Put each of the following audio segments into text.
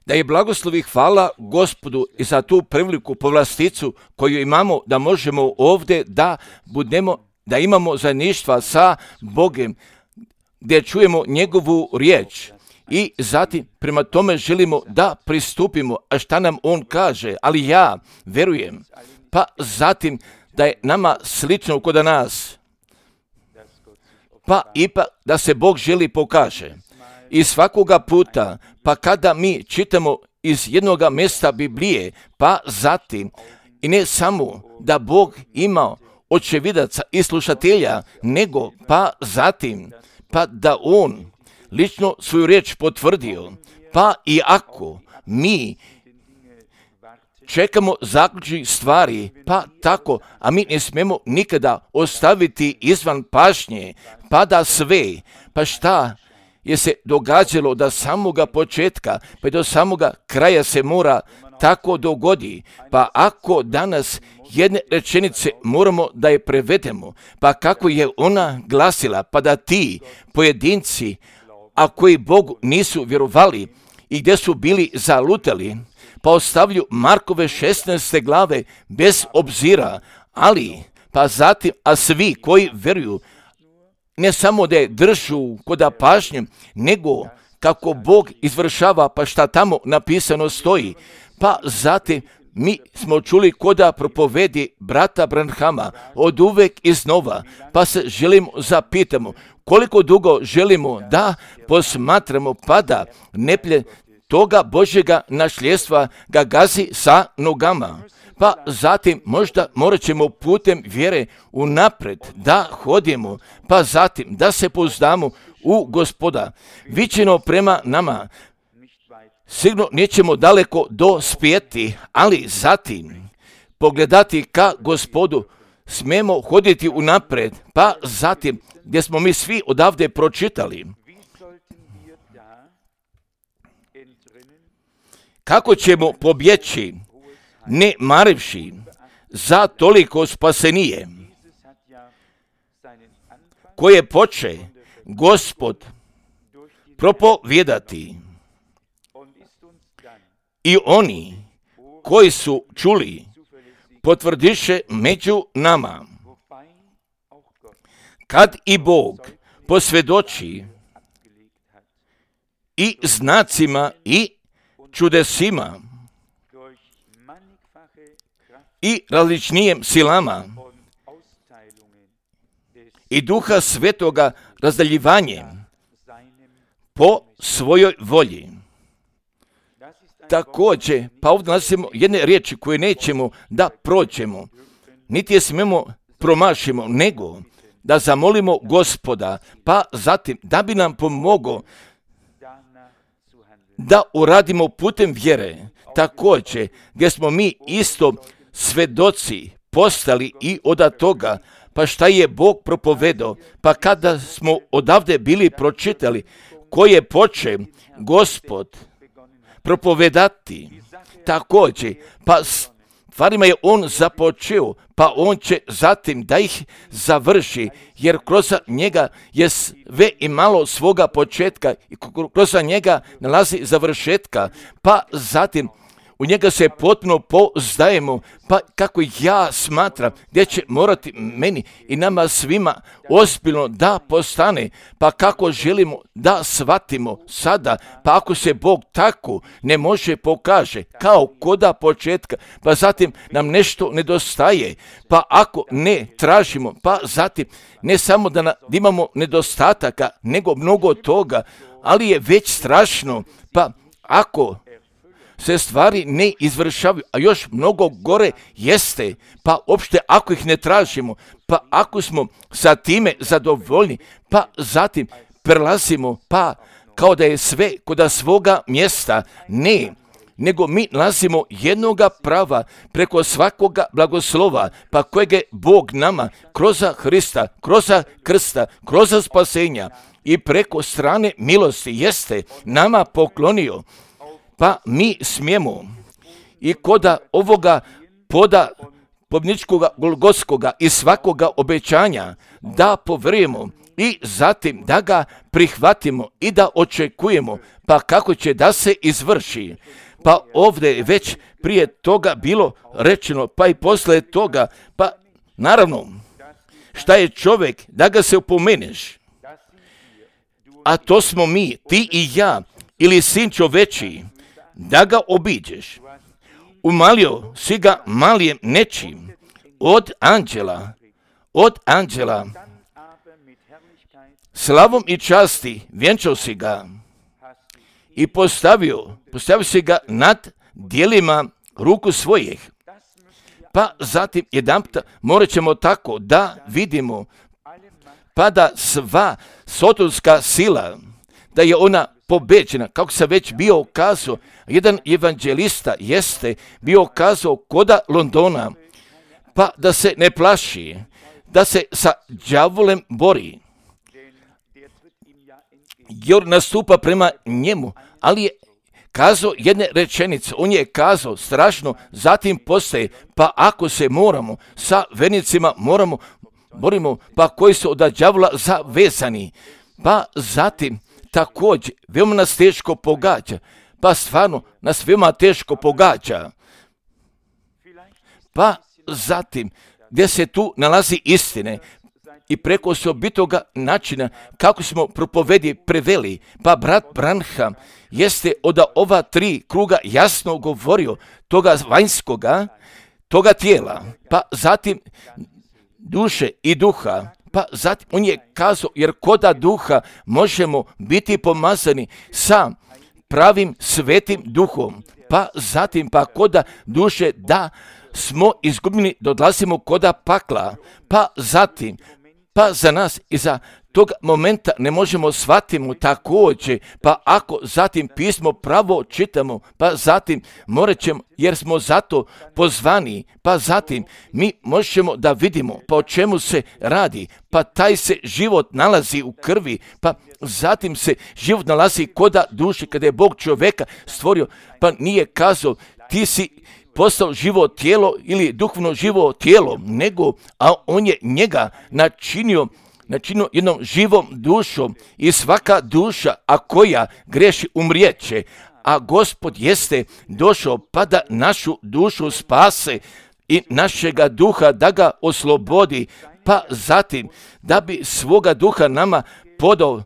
Da je blagoslov i hvala Gospodu i za tu preveliku povlasticu koju imamo da možemo ovdje da imamo zajedništva sa Bogom, gdje čujemo njegovu riječ i zatim prema tome želimo da pristupimo, a šta nam on kaže, ali ja verujem, pa zatim da je nama slično kod nas, pa ipak da se Bog želi pokaže. I svakoga puta, pa kada mi čitamo iz jednoga mjesta Biblije, pa zatim, i ne samo da Bog ima očevidaca i slušatelja, nego pa zatim, pa da on lično svoju riječ potvrdio, pa i ako mi čekamo zaključnih stvari, pa tako, a mi ne smemo nikada ostaviti izvan pažnje, pa da sve, pa šta je se događalo da samoga početka, pa do samoga kraja se mora tako dogodi, pa ako danas jedne rečenice moramo da je prevedemo, pa kako je ona glasila, pa da ti pojedinci, a koji Bogu nisu vjerovali i gdje su bili zalutali, pa ostavljaju Markove 16. glave bez obzira, ali pa zatim, a svi koji vjeruju, ne samo da je držu koda pažnje, nego kako Bog izvršava, pa šta tamo napisano stoji, pa zatim mi smo čuli koda propovedi brata Branhama od uvek iznova, pa se želimo zapitamo koliko dugo želimo da posmatramo, pa da neplje toga Božjega našljestva ga gazi sa nogama. Pa zatim možda morat ćemo putem vjere unapred da hodimo, pa zatim da se pouzdamo u Gospoda. Viđeno prema nama, sigurno nećemo daleko dospjeti, ali zatim pogledati ka Gospodu smemo hoditi unapred, pa zatim gdje smo mi svi odavde pročitali. Kako ćemo pobjeći, ne marivši za toliko spasenije, koje poče Gospod propovijedati. I oni koji su čuli potvrdiše među nama. Kad i Bog posvjedoči i znacima i čudesima i različnijim silama i Duha Svetoga razdaljivanjem po svojoj volji. Također, pa ovdje nalazimo jedne riječi koje nećemo da prođemo, niti je smemo promašimo, nego da zamolimo Gospoda, pa zatim da bi nam pomogao da uradimo putem vjere. Također, gdje smo mi isto svedoci postali i od toga, pa šta je Bog propovedao, pa kada smo odavde bili pročitali, koje poče Gospod propovedati, također, pa stvarima je on započeo, pa on će zatim da ih završi, jer kroz njega je sve imalo svoga početka i kroz njega nalazi završetka, pa zatim u njega se potpuno pouzdajemo, pa kako ja smatram gdje će morati meni i nama svima ozbiljno da postane, pa kako želimo da shvatimo sada, pa ako se Bog tako ne može pokaže kao koda početka, pa zatim nam nešto nedostaje, pa ako ne tražimo, pa zatim ne samo da imamo nedostataka, nego mnogo toga, ali je već strašno, pa ako se stvari ne izvršavaju, a još mnogo gore jeste, pa opšte ako ih ne tražimo, pa ako smo sa time zadovoljni, pa zatim prelazimo, pa kao da je sve kod svoga mjesta, ne, nego mi nalazimo jednoga prava preko svakoga blagoslova, pa kojeg je Bog nama kroz Hrista, kroz krsta, kroz spasenja i preko strane milosti jeste nama poklonio. Pa mi smijemo i koda ovoga poda pobničkoga Golgotskoga i svakoga obećanja da povjerujemo i zatim da ga prihvatimo i da očekujemo, pa kako će da se izvrši. Pa ovdje je već prije toga bilo rečeno, pa i poslije toga, pa naravno, šta je čovjek, da ga se opomeneš, a to smo mi, ti i ja, ili sin čoveči, da ga obiđeš. Umalio si ga malijem nečim, od anđela, slavom i časti vjenčao si ga i postavio si ga nad dijelima ruku svojih. Pa zatim jedanputa morat ćemo tako da vidimo, pa da sva sotonska sila, da je ona pobeđena, kako sam već bio kazao, jedan evanđelista jeste bio kazao koda Londona, pa da se ne plaši, da se sa đavolem bori, jer nastupa prema njemu, ali je kazao jedne rečenice, on je kazao strašno, zatim postaje, pa ako se moramo sa vernicima borimo, pa koji su od đavola zavezani, pa zatim također veoma nas teško pogađa, pa stvarno nas veoma teško pogađa, pa zatim gdje se tu nalazi istine i preko osobitoga načina kako smo propovedi preveli, pa brat Branham jeste od ova 3 kruga jasno govorio toga vanjskoga, toga tijela, pa zatim duše i duha, pa zatim on je kazao, jer koda duha možemo biti pomazani sa pravim svetim duhom, pa zatim pa koda duše da smo izgubljeni, dodlazimo koda pakla, pa zatim, pa za nas i za tog momenta ne možemo shvatimo također, pa ako zatim pismo pravo čitamo, pa zatim morat ćemo, jer smo zato pozvani, pa zatim mi možemo da vidimo pa o čemu se radi, pa taj se život nalazi u krvi, pa zatim se život nalazi koda duši, kada je Bog čovjeka stvorio, pa nije kazao ti si postao živo tijelo ili duhovno živo tijelo, nego, a on je njega načinio jednom živom dušom i svaka duša, a koja greši umrijeće, a Gospod jeste došao pa da našu dušu spase i našega duha da ga oslobodi, pa zatim da bi svoga duha nama podao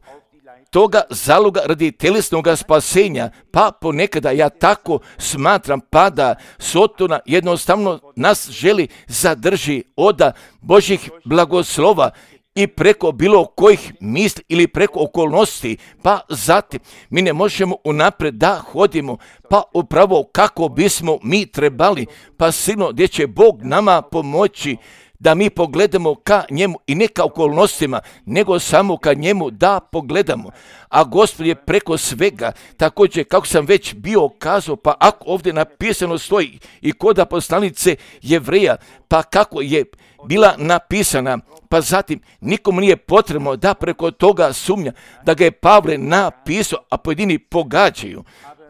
toga zaloga radi telesnog spasenja, pa ponekada ja tako smatram, pa da Sotona jednostavno nas želi zadrži od Božjih blagoslova i preko bilo kojih misli ili preko okolnosti, pa zatim mi ne možemo unaprijed da hodimo, pa upravo kako bismo mi trebali, pa sigurno gdje će Bog nama pomoći da mi pogledamo ka njemu i ne ka okolnostima, nego samo ka njemu da pogledamo. A Gospod je preko svega, također kako sam već bio kazao, pa ako ovdje napisano stoji i koda poslanice Jevreja, pa kako je bila napisana, pa zatim nikomu nije potrebno da preko toga sumnja, da ga je Pavle napisao, a pojedini pogađaju.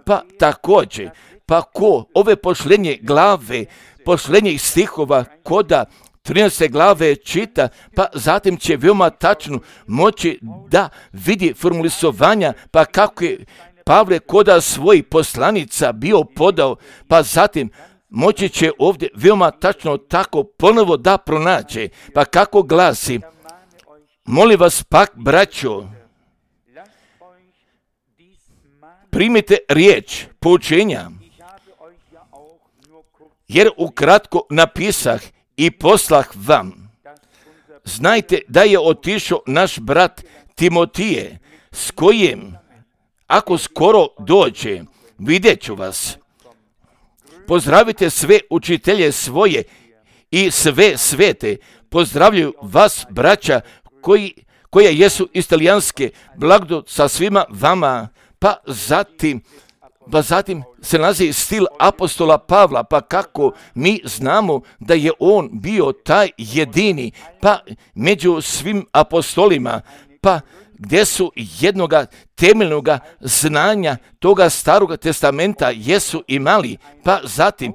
Pa također, pa ko ove pošlenje glave, pošlenjih stihova koda 13. glave čita, pa zatim će veoma tačno moći da vidi formulisovanja, pa kako je Pavle koda svojih poslanica bio podao, pa zatim moći će ovdje veoma tačno tako ponovo da pronađe, pa kako glasi, molim vas pak, braćo, primite riječ poučenja, jer ukratko napisah i poslah vam. Znajte da je otišao naš brat Timotije, s kojim, ako skoro dođe, vidjet ću vas. Pozdravite sve učitelje svoje i sve svete. Pozdravljaju vas, braća, koje jesu iz Talijanske, blagodat sa svima vama. Pa zatim se nalazi stil apostola Pavla, pa kako mi znamo da je on bio taj jedini, pa među svim apostolima, pa gdje su jednoga temeljnoga znanja toga Staroga testamenta jesu imali, pa zatim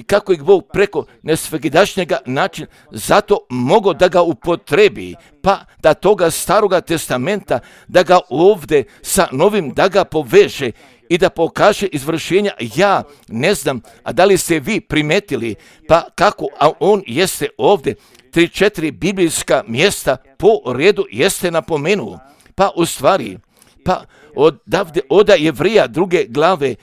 kako ih Bog preko nesvakidašnjega načina zato mogao da ga upotrebi, pa da toga Staroga testamenta da ga ovdje sa novim da ga poveže i da pokaže izvršenja. Ja ne znam, a da li ste vi primetili, pa kako, a on jeste ovdje 3-4 biblijska mjesta po redu jeste napomenuo, pa u stvari, pa od Jevrija 2. glave,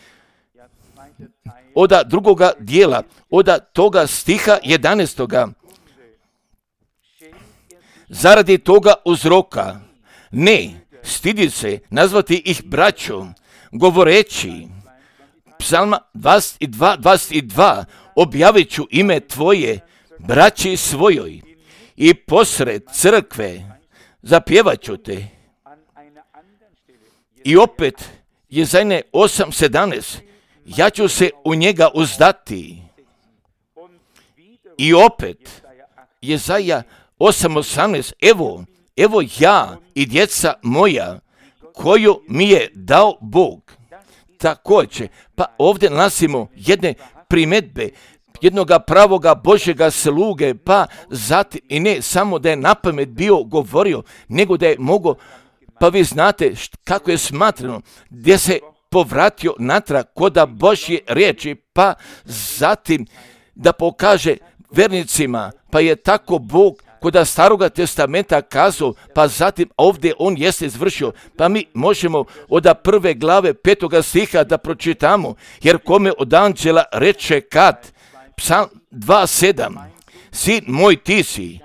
od drugoga dijela, od toga stiha 11. Zaradi toga uzroka, ne stidi se nazvati ih braćom, govoreći, Psalma 22, objavit ću ime tvoje braći svojoj i posred crkve zapjevat ću te. I opet Jezajne 8:17, ja ću se u njega uzdati. I opet Jezaja 8:18, evo ja i djeca moja koju mi je dao Bog. Također, pa ovdje nalazimo jedne primjedbe jednoga pravoga Božjega sluge, pa zatim i ne samo da je napamet bio govorio, nego da je mogao, pa vi znate kako je smatrano, gdje se povratio natrag koda Božje riječi, pa zatim da pokaže vernicima, pa je tako Bog koda Staroga testamenta kazao, pa zatim ovdje on jeste izvršio, pa mi možemo od 1. glave 5. stiha da pročitamo, jer kome od anđela reče kad, Psalm 2:7, sin moj ti si,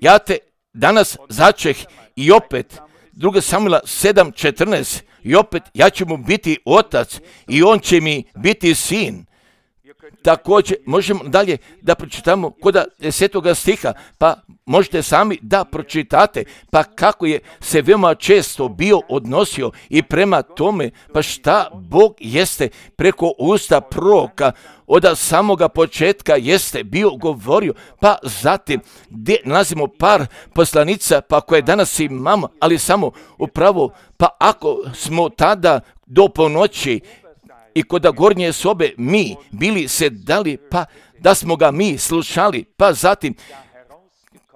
ja te danas začeh, i opet 2. Samuela 7:14, i opet ja ću mu biti otac i on će mi biti sin. Također možemo dalje da pročitamo kod 10. stiha, pa možete sami da pročitate, pa kako je se veoma često bio odnosio i prema tome, pa šta Bog jeste preko usta proroka od samoga početka jeste bio govorio, pa zatim gdje nalazimo par poslanica, pa koje danas imamo, ali samo upravo, pa ako smo tada do ponoći i kod gornje sobe mi bili sedali, pa da smo ga mi slušali, pa zatim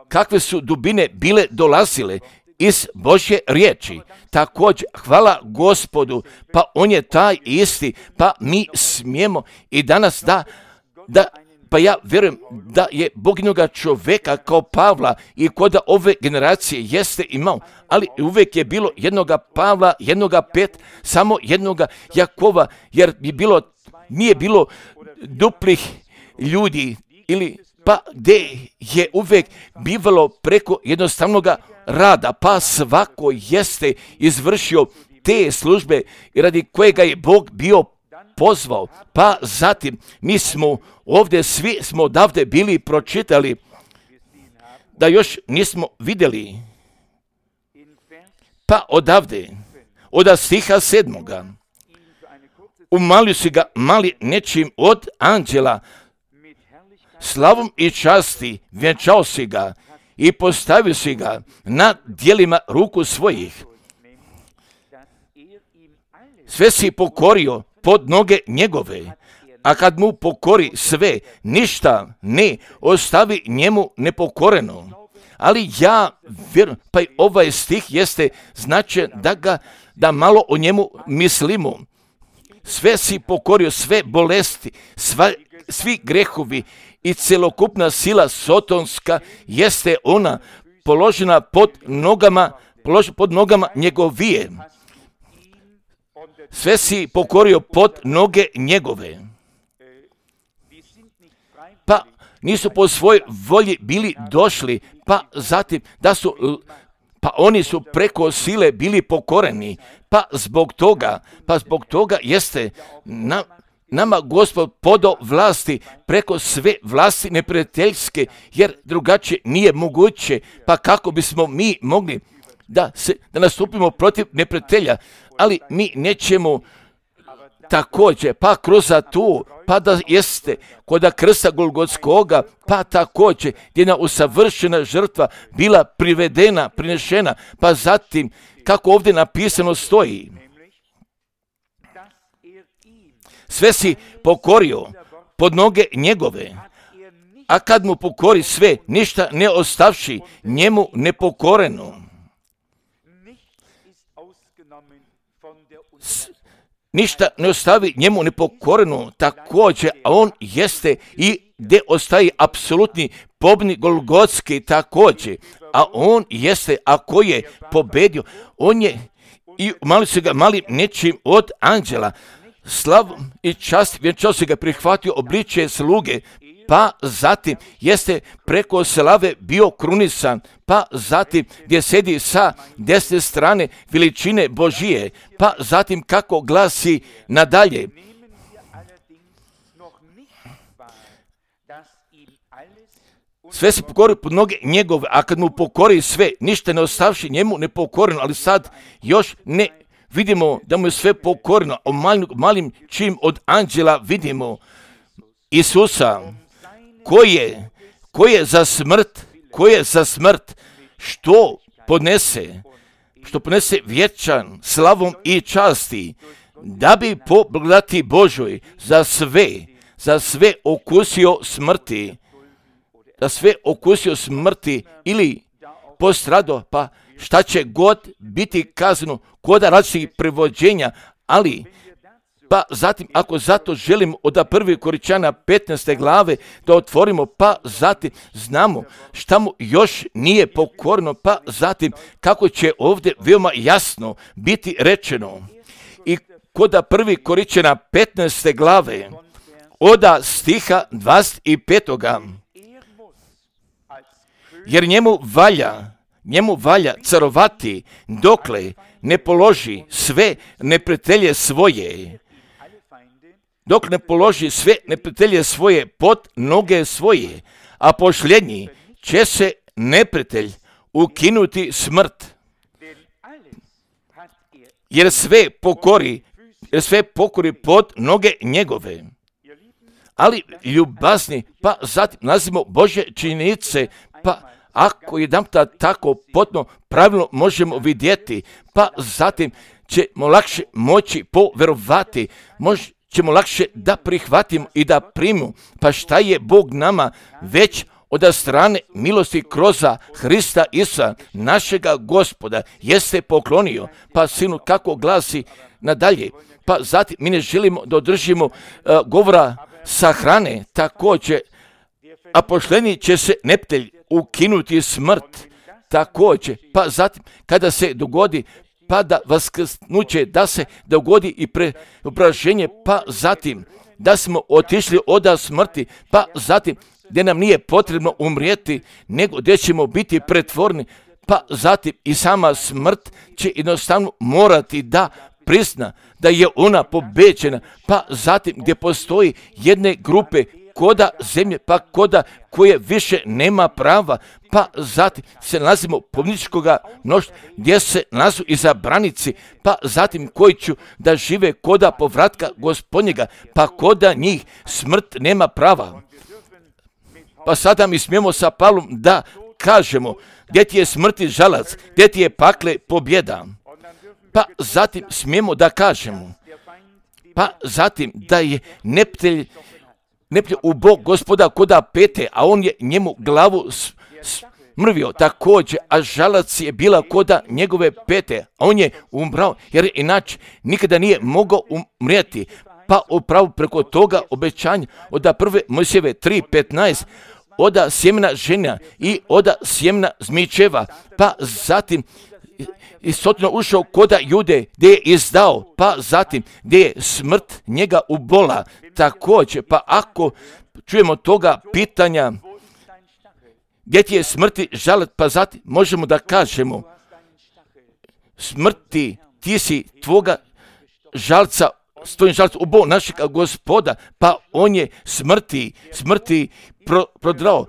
kakve su dubine bile dolazile iz Božje riječi. Također, hvala Gospodu, pa on je taj isti, pa mi smijemo i danas pa ja vjerujem da je Bog jednoga čovjeka kao Pavla i kod ove generacije jeste imao, ali uvijek je bilo jednoga Pavla, jednoga samo jednoga Jakova, jer nije bilo duplih ljudi ili pa gdje je uvijek bivalo preko jednostavnoga rada, pa svako jeste izvršio te službe radi kojega je Bog bio pozvao, pa zatim mi smo ovdje svi smo odavde bili pročitali da još nismo vidjeli, pa odavde od stiha 7. Umalio si ga mali nečim od anđela, slavom i časti vjenčao si ga i postavio si ga na dijelima ruku svojih. Sve si pokorio pod noge njegove, a kad mu pokori sve, ništa ne ostavi njemu nepokoreno. Ali ja vjerujem, pa i ovaj stih jeste značajan da malo o njemu mislimo. Sve si pokorio, sve bolesti, svi grehovi i celokupna sila sotonska jeste ona položena pod nogama njegovije. Sve si pokorio pod noge njegove. Pa nisu po svojoj volji bili došli, pa zatim pa oni su preko sile bili pokoreni, pa zbog toga jeste nama Gospod podao vlasti preko sve vlasti neprijateljske, jer drugačije nije moguće, pa kako bismo mi mogli da nastupimo protiv neprijatelja, ali mi nećemo također, pa kroz tu, pa da jeste kod krsta Golgotskoga, pa također gdje je usavršena žrtva bila privedena, prinešena, pa zatim kako ovdje napisano stoji, sve si pokorio pod noge njegove, a kad mu pokori sve, ništa ne ostavši njemu nepokoreno. Ništa ne ostavi njemu nepokoreno, također, a on jeste i gdje ostaje apsolutni pobjednik Golgotski također, a on jeste, ako je pobedio, on je i mali su ga mali nečim od anđela, slavom i čast vjenčao se ga prihvatio obličje sluge, pa zatim jeste preko slave bio krunisan, pa zatim gdje sedi sa desne strane veličine Božije, pa zatim kako glasi nadalje. Sve se pokori pod noge njegove, a kad mu pokori sve, ništa ne ostavši njemu nepokoreno, ali sad još ne vidimo da mu je sve pokoreno, o malim čim od anđela vidimo Isusa, ko je za smrt, što podnese vječan slavom i časti, da bi po blagodati Božoj za sve okusio smrti, ili postrado, pa šta će god biti kazano kod različitih prevođenja, ali pa zatim, ako zato želimo od 1. Korinćana 15. glave da otvorimo, pa zatim znamo šta mu još nije pokorno, pa zatim kako će ovdje veoma jasno biti rečeno. I kod 1. Korinćana 15. glave od stiha 25. Jer njemu valja carovati dokle ne položi sve neprijatelje svoje. Dok ne položi sve neprijatelje svoje pod noge svoje, a posljednji će se neprijatelj ukinuti smrt. Jer sve pokori pod noge njegove. Ali ljubazni, pa zatim nalazimo Božje činjenice, pa ako jedanputa tako potpuno pravilno možemo vidjeti, pa zatim ćemo lakše moći poverovati, ćemo lakše da prihvatimo i da primimo, pa šta je Bog nama već od strane milosti kroz Hrista Isusa, našega Gospoda, jeste poklonio, pa sinu kako glasi nadalje, pa zatim mi ne želimo da održimo govora sahrane, također, a posljednji će se neprijatelj ukinuti smrt, također, pa zatim kada se dogodi pa da vaskrsnuće, da se dogodi i preobraženje, pa zatim da smo otišli od smrti, pa zatim gdje nam nije potrebno umrijeti, nego gdje ćemo biti pretvorni, pa zatim i sama smrt će jednostavno morati da prizna da je ona pobeđena, pa zatim gdje postoji jedne grupe koda zemlje, pa koda koje više nema prava, pa zatim se nalazimo pobjedničkoga mnoštva gdje se nalazu izabranici, pa zatim koji ću da žive koda povratka Gospodnjega, pa koda njih smrt nema prava. Pa sada mi smijemo sa Pavlom da kažemo gdje ti je smrti žalac, gdje ti je pakle pobjeda. Pa zatim smijemo da kažemo, pa zatim da je neprijatelj u Bog Gospoda koda pete, a on je njemu glavu smrvio također, a žalac je bila koda njegove pete, a on je umrao, jer inače nikada nije mogao umrijeti. Pa upravo preko toga obećanja od 1. Mojsijeve 3.15, od sjemena žena i od sjemena zmičeva, pa zatim istotno ušao koda Jude gdje je izdao, pa zatim gdje je smrt njega ubola također, pa ako čujemo toga pitanja gdje ti je smrti žalac, pa zatim možemo da kažemo smrti ti si tvoga žalca, s tvojim žalcem ubao našega Gospoda, pa on je smrti prodrao,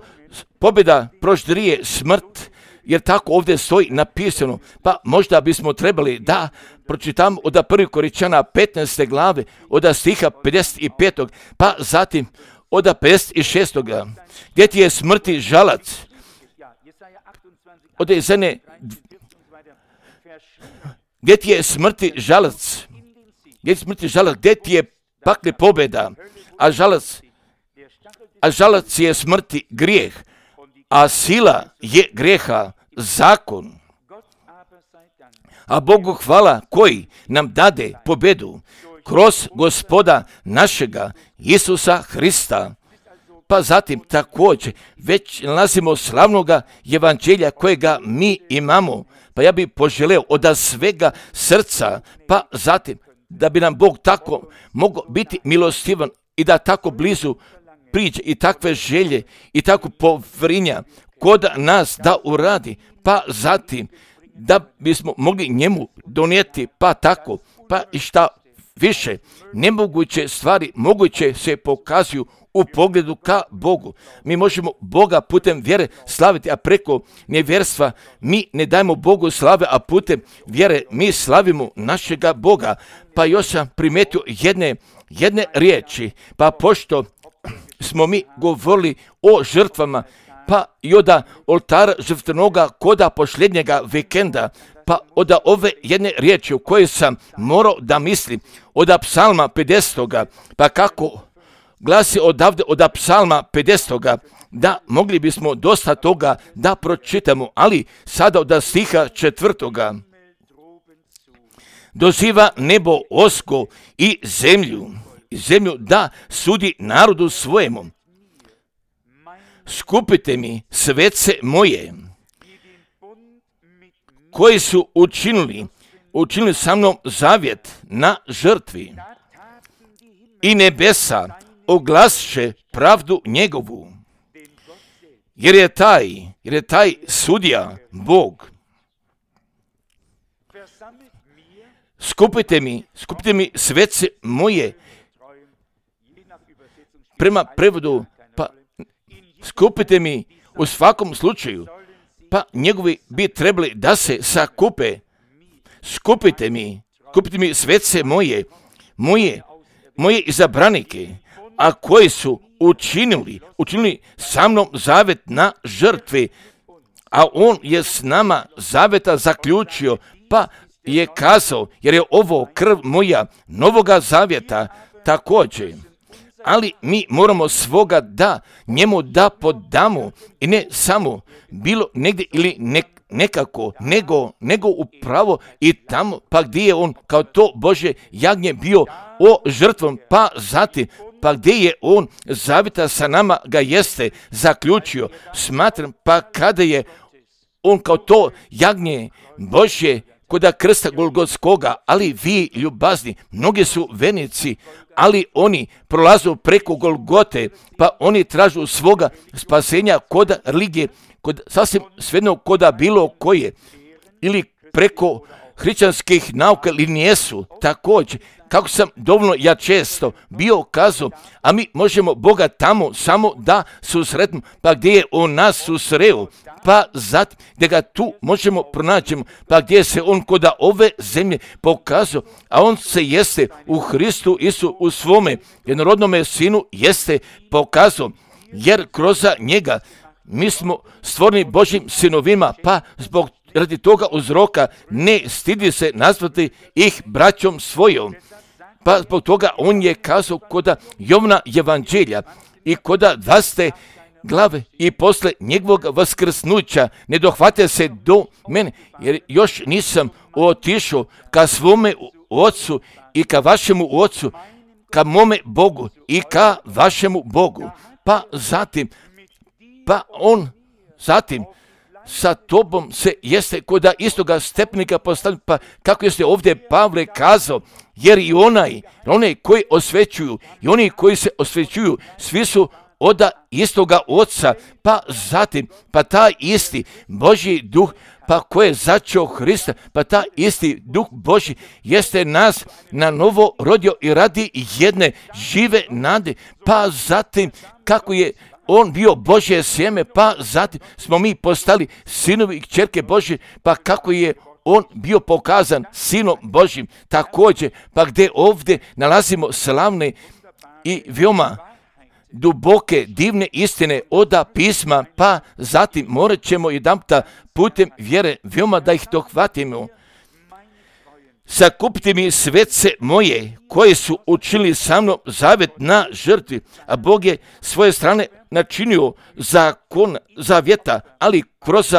pobjeda proždrije smrt, jer tako ovdje stoji napisano, pa možda bismo trebali da pročitam od 1. Korinčana 15. glave, od stiha 55. pa zatim od 56. gdje ti je smrti žalac, od Jezene, gdje ti je smrti žalac, gdje ti je pakle pobjeda, a žalac je smrti grijeh, a sila je grijeha zakon. A Bogu hvala koji nam dade pobjedu kroz Gospoda našega Isusa Hrista. Pa zatim također već nalazimo slavnoga evanđelja kojega mi imamo. Pa ja bih poželeo od svega srca, pa zatim da bi nam Bog tako mogao biti milostivan i da tako blizu priđe i takve želje i tako povrinja kod nas da uradi, pa zatim da bismo mogli njemu donijeti, pa tako, pa i šta više, nemoguće stvari moguće se pokazuju u pogledu ka Bogu. Mi možemo Boga putem vjere slaviti, a preko nevjerstva mi ne dajemo Bogu slave, a putem vjere mi slavimo našega Boga. Pa još sam primijetio jedne riječi, pa pošto smo mi govorili o žrtvama, pa i od oltara žrtvenoga koda posljednjega vikenda, pa od ove jedne riječi u kojoj sam morao da mislim, od psalma 50. pa kako glasi odavde od psalma 50. da mogli bismo dosta toga da pročitamo, ali sada od stiha 4. Doziva nebo osko i zemlju da sudi narodu svojemu. Skupite mi svece moje, koji su učinili sa mnom zavjet na žrtvi, i nebesa oglasše pravdu njegovu, jer je taj sudija Bog. Skupite mi svece moje, prema prevodu, pa skupite mi u svakom slučaju, pa njegovi bi trebali da se sakupe. Skupite mi svece moje izabranike, a koji su učinili sa mnom zavet na žrtvi, a on je s nama zaveta zaključio, pa je kazao, jer je ovo krv moja novoga zavjeta također. Ali mi moramo svoga da njemu da podamo, i ne samo bilo negdje ili nekako, nego upravo i tamo, pa gdje je on kao to Božje jagnje bio o žrtvom, pa zatim, pa gdje je on zavjeta sa nama ga jeste zaključio. Smatram, pa kada je on kao to jagnje Božje koda krsta Golgotskoga, ali vi ljubazni, mnogi su vernici, ali oni prolazu preko Golgote, pa oni tražu svoga spasenja kod religije, kod sasvim svejedno koda bilo koje, ili preko hrišćanskih nauka ili nijesu, također, kako sam dovoljno ja često bio kazao, a mi možemo Boga tamo samo da susretimo, pa gdje je on nas susreo, pa zatim gdje ga tu možemo pronaći, pa gdje se on koda ove zemlje pokazao, a on se jeste u Hristu Isu u svome jednorodnome sinu jeste pokazao, jer kroz njega mi smo stvoreni Božjim sinovima, pa radi toga uzroka ne stidi se nazvati ih braćom svojom. Pa zbog toga on je kazao koda Jovna evanđelja i koda 20. glave i posle njegovog vaskrsnuća ne dohvate se do mene, jer još nisam otišao ka svome ocu i ka vašemu ocu, ka mome Bogu i ka vašemu Bogu. Pa zatim sa tobom se jeste koda istoga stepnika postavlja, pa kako jeste ovdje Pavle kazao, jer i onaj koji osvećuju i oni koji se osvećuju, svi su od istoga oca, pa zatim, pa taj isti Božji duh, pa koji je začeo Hrista, pa taj isti duh Božji jeste nas na novo rodio i radi jedne žive nade, pa zatim kako je on bio Božje sjeme, pa zatim smo mi postali sinovi i kćerke Božje, pa kako je on bio pokazan sinom Božjim također, pa gdje ovdje nalazimo slavne i veoma duboke, divne istine oda pisma, pa zatim morat ćemo jedanputa putem vjere veoma da ih dohvatimo. Sakupite mi svece moje koji su učinili sa mnom zavet na žrtvi, a Bog je svoje strane načinio zakon zavjeta, ali kroz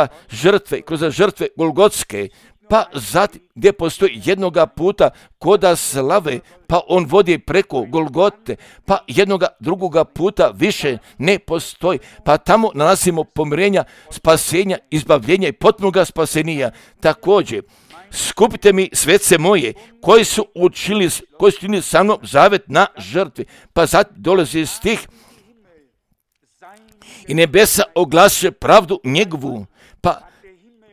žrtve Golgotske, pa zatim gdje postoji jednoga puta koda slave, pa on vodi preko Golgote, pa jednoga drugoga puta više ne postoji, pa tamo nalazimo pomirenja, spasenja, izbavljenja i potpunoga spasenija. Također, skupite mi svece moje koji su učinili sa mnom zavet na žrtvi, pa zatim dolazi stih i nebesa oglaše pravdu njegovu, pa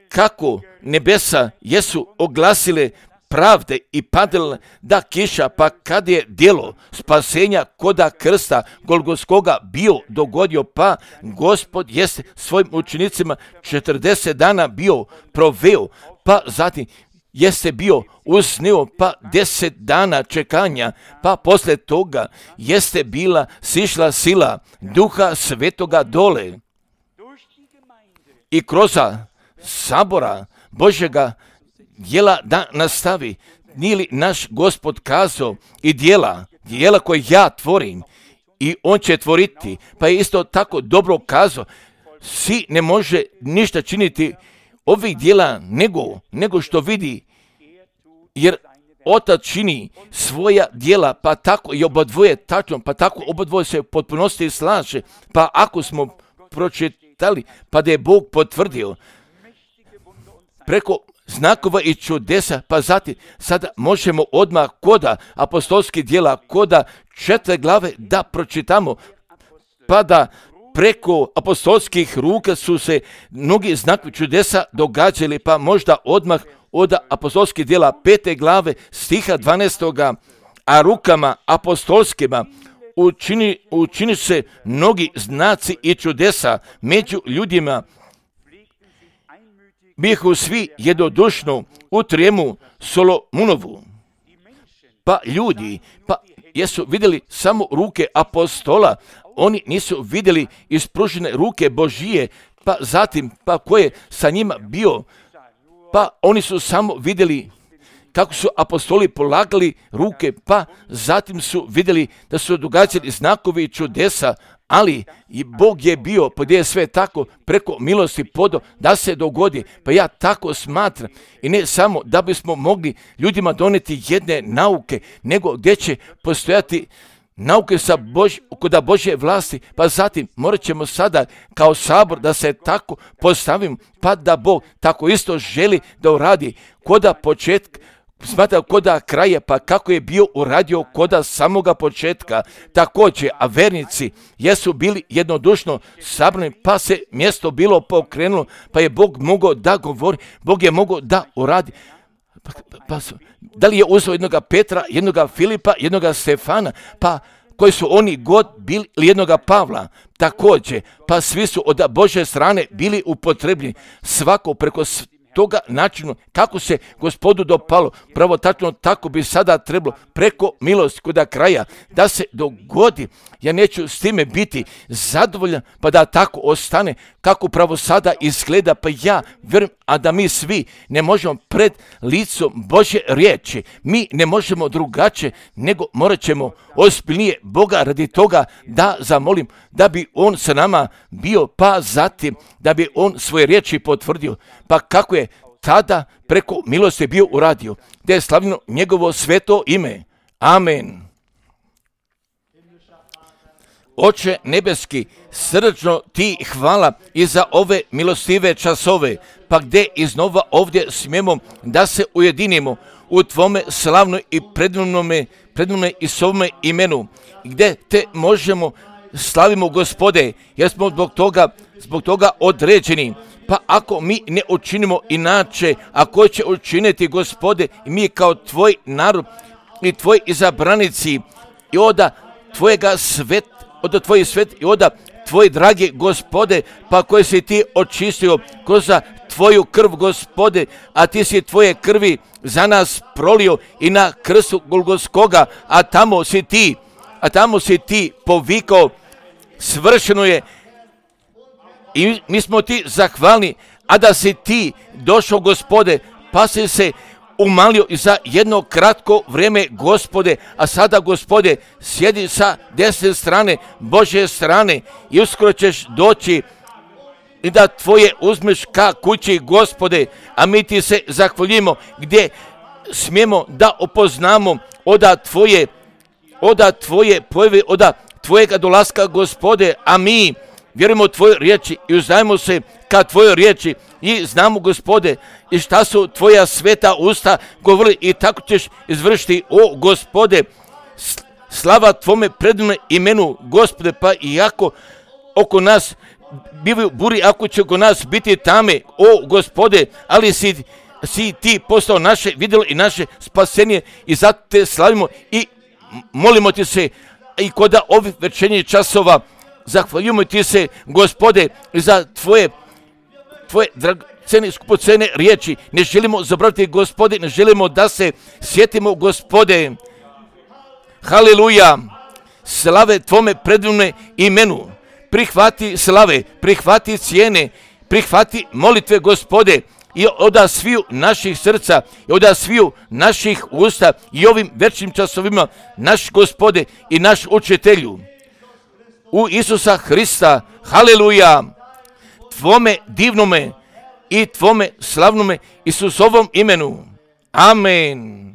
kako nebesa jesu oglasile pravde i padale da kiša, pa kad je djelo spasenja koda krsta Golgotskoga bio dogodio, pa Gospod jeste svojim učenicima 40 dana bio proveo, pa zatim jeste bio usnio, pa 10 dana čekanja, pa poslije toga jeste bila sišla sila Duha Svetoga dole i kroz sabora Božjega djela da nastavi. Nije li naš Gospod kazao i djela koje ja tvorim i on će tvoriti, pa je isto tako dobro kazao, si ne može ništa činiti ovih djela nego što vidi, jer Otac čini svoja djela, pa tako i obadvoje tačno, pa tako obadvoje se u potpunosti slaže, pa ako smo pročitali, pa da je Bog potvrdio preko znakova i čudesa, pa zatim sada možemo odmah koda apostolskih djela, koda 4 glave da pročitamo, pa da preko apostolskih ruka su se mnogi znakovi čudesa događali, pa možda odmah od apostolskih djela 5. glave stiha 12. a rukama apostolskima učini se mnogi znaci i čudesa među ljudima. Bihu svi jednodušno u trijemu Solomunovu. Pa ljudi, pa jesu vidjeli samo ruke apostola, oni nisu vidjeli ispružene ruke Božije, pa zatim, pa ko je sa njima bio, pa oni su samo vidjeli kako su apostoli polagali ruke, pa zatim su vidjeli da su događali znakovi i čudesa, ali i Bog je bio, pa gdje je sve tako preko milosti podao da se dogodi. Pa ja tako smatram, i ne samo da bismo mogli ljudima doneti jedne nauke, nego gdje će postojati nauke kod Božje vlasti, pa zatim morat ćemo sada kao sabor da se tako postavimo, pa da Bog tako isto želi da uradi koda početka, smatra koda kraja, pa kako je bio uradio koda samoga početka. Također, a vernici jesu bili jednodušno sabrani, pa se mjesto bilo pokrenulo, pa je Bog mogao da govori, Bog je mogao da uradi. Da li je uzeo jednoga Petra, jednoga Filipa, jednoga Stefana, pa koji su oni god bili, ili jednoga Pavla, također, pa svi su od Božje strane bili upotrebljeni, svako preko toga načinu kako se Gospodu dopalo, pravo tačno tako bi sada trebalo preko milosti koda kraja da se dogodi. Ja neću s time biti zadovoljan, pa da tako ostane kako pravo sada izgleda, pa ja vjerujem, a da mi svi ne možemo pred licom Božje riječi, mi ne možemo drugačije, nego morat ćemo ozbiljnije Boga radi toga da zamolim, da bi On sa nama bio, pa zatim da bi On svoje riječi potvrdio, pa kako je tada preko milosti bio uradio, da je slavljeno njegovo sveto ime. Amen. Oče nebeski, srdačno ti hvala i za ove milostive časove, pa gdje iznova ovdje smijemo da se ujedinimo u tvome slavnoj i predivnome i svome imenu, gdje te možemo slavimo Gospode, jer smo zbog toga određeni. Pa ako mi ne učinimo inače, a ko će učiniti, Gospode, i mi kao tvoj narod i tvoji izabranici i oda tvojega sveta, od tvojih svet i oda tvoje drage Gospode, pa koje si ti očistio kroz tvoju krv, Gospode, a ti si tvoje krvi za nas prolio i na krstu Golgotskoga, a tamo si ti povikao, svršeno je. I mi smo ti zahvalni, a da si ti došao, Gospode, pa si se umalio i za jedno kratko vrijeme, Gospode, a sada, Gospode, sjedi sa desne strane, Božje strane, i uskoro ćeš doći i da tvoje uzmeš ka kući, Gospode, a mi ti se zahvaljujemo gdje smijemo da opoznamo oda tvoje pojave, oda tvojega dolaska, Gospode, a mi vjerujemo u tvoje riječi i uzdajemo se ka tvojoj riječi i znamo, Gospode, i šta su tvoja sveta usta govorili, i tako ćeš izvršiti, o Gospode. Slava tvome predivnom imenu, Gospode, pa iako oko nas bivaju buri, ako će oko nas biti tame, o Gospode, ali si ti postao naše vidjelo i naše spasenje, i zato te slavimo i molimo ti se i kod ovih večernjih časova. Zahvaljujemo ti se, Gospode, za tvoje dragocjene, skupocjene riječi. Ne želimo zaboraviti, Gospode, ne želimo da se sjetimo, Gospode. Haleluja, slave tvome predivnom imenu. Prihvati slave, prihvati cijene, prihvati molitve, Gospode, i od sviju naših srca, i od sviju naših usta, i ovim večnim časovima, naš Gospode i naš učitelju. U Isusa Hrista, haleluja, tvome divnome i tvome slavnome Isusovom imenu. Amen.